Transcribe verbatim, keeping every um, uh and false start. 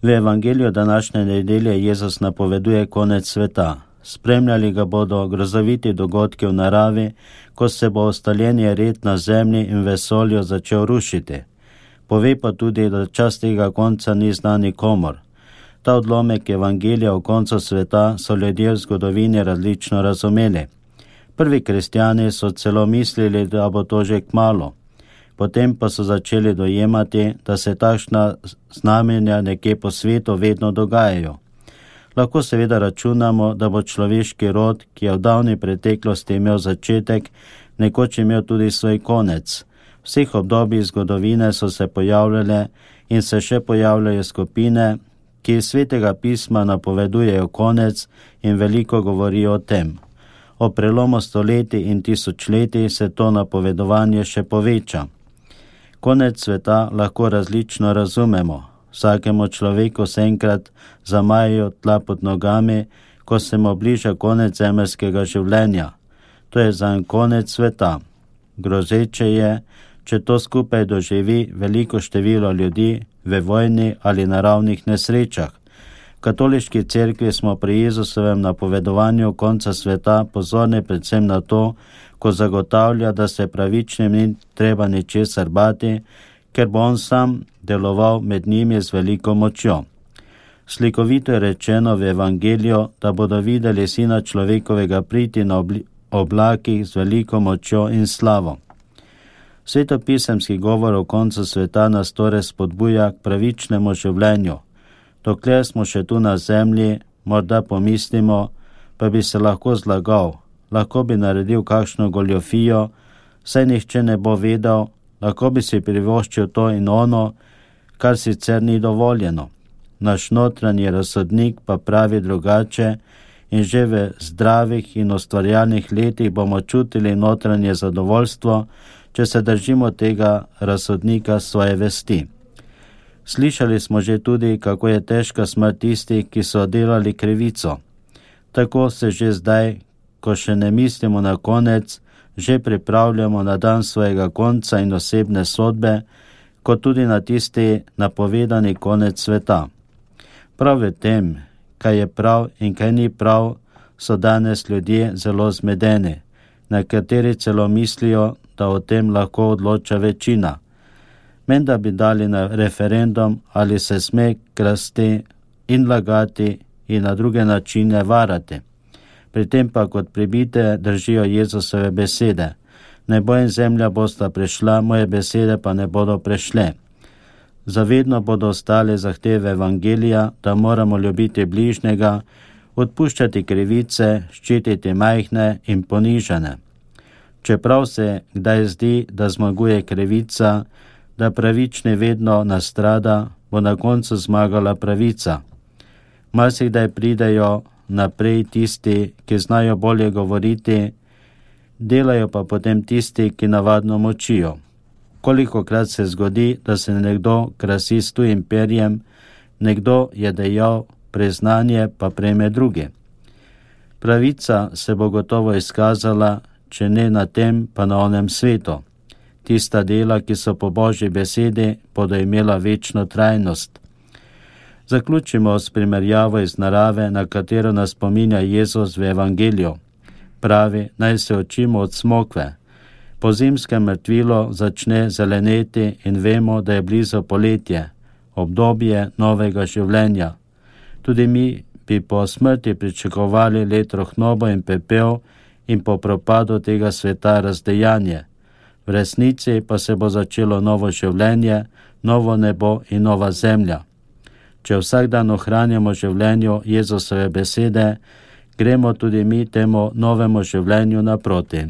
V evangeliju današnje nedelje Jezus napoveduje konec sveta. Spremljali ga bodo grozoviti dogodki v naravi, ko se bo ustaljen red na zemlji in vesolju začel rušiti. Pove pa tudi, da čas tega konca ni znan nikomur. Ta odlomek evangelija o koncu sveta so ljudje v zgodovini različno razumeli. Prvi kristjani so celo mislili, da bo to že kmalu. Potem pa so začeli dojemati, da se takšna znamenja nekje po svetu vedno dogajajo. Lahko seveda računamo, da bo človeški rod, ki je v davni preteklosti imel začetek, nekoč imel tudi svoj konec. V vseh obdobjih zgodovine so se pojavljale in se še pojavljajo skupine, ki iz svetega pisma napovedujejo konec in veliko govorijo o tem. O prelomu stoletij in tisočletij se to napovedovanje še poveča. Konec sveta lahko različno razumemo. Vsakemu človeku se enkrat zamajajo tla pod nogami, ko se mu bliža konec zemeljskega življenja. To je zanj konec sveta. Grozeče je, če to skupaj doživi veliko število ljudi v vojni ali naravnih nesrečah. V katoliški cerkvi smo pri Jezusovem napovedovanju konca sveta pozorni predvsem na to, ko zagotavlja, da se pravičnim ni treba ničesar bati, ker bo on sam deloval med njimi z veliko močjo. Slikovito je rečeno v evangeliju, da bodo videli Sina človekovega priti na oblakih z veliko močjo in slavo. Svetopisemski govor o koncu sveta nas torej spodbuja k pravičnemu življenju. Dokler smo še tu na zemlji, morda pomislimo, pa bi se lahko zlagal, lahko bi naredil kakšno goljofijo, saj nihče ne bo vedel, lahko bi si privoščil to in ono, kar sicer ni dovoljeno. Naš notranji razsodnik pa pravi drugače in že v zdravih in ustvarjalnih letih bomo čutili notranje zadovoljstvo, če se držimo tega razsodnika svoje vesti. Slišali smo že tudi, kako je težka smrt tistih, ki so delali krivico. Tako se že zdaj, ko še ne mislimo na konec, že pripravljamo na dan svojega konca in osebne sodbe, kot tudi na tisti napovedani konec sveta. Prav v tem, kaj je prav in kaj ni prav, so danes ljudje zelo zmedeni. Nekateri celo mislijo, da o tem lahko odloča večina. Menda bi dali na referendum, ali se sme krasti in lagati in na druge načine varati. Pri tem pa kot pribite držijo Jezusove besede. Nebo in zemlja bosta prešla, moje besede pa ne bodo prešle. Zavedno bodo ostale zahteve evangelija, da moramo ljubiti bližnjega, odpuščati krivice, ščititi majhne in ponižane. Čeprav se kdaj zdi, da zmaguje krivica, da pravični vedno nastrada, bo na koncu zmagala pravica. Marsikdaj pridejo naprej tisti, ki znajo bolje govoriti, delajo pa potem tisti, ki navadno močijo. Kolikokrat se zgodi, da se nekdo krasi s tujim perjem, nekdo je dejal priznanje, pa prejme drugi. Pravica se bo gotovo izkazala, če ne na tem, pa na onem svetu. Tista dela, ki so po Božji besedi, bodo imela večno trajnost. Zaključimo s primerjavo iz narave, na katero nas spominja Jezus v evangeliju. Pravi, naj se učimo od smokve. Po zimskem mrtvilo začne zeleneti in vemo, da je blizu poletje, obdobje novega življenja. Tudi mi bi po smrti pričakovali let rohnobo in pepel in po propadu tega sveta razdejanje. V resnici pa se bo začelo novo življenje, novo nebo in nova zemlja. Če vsak dan ohranjamo življenju Jezusove besede, gremo tudi mi temu novemu življenju naproti.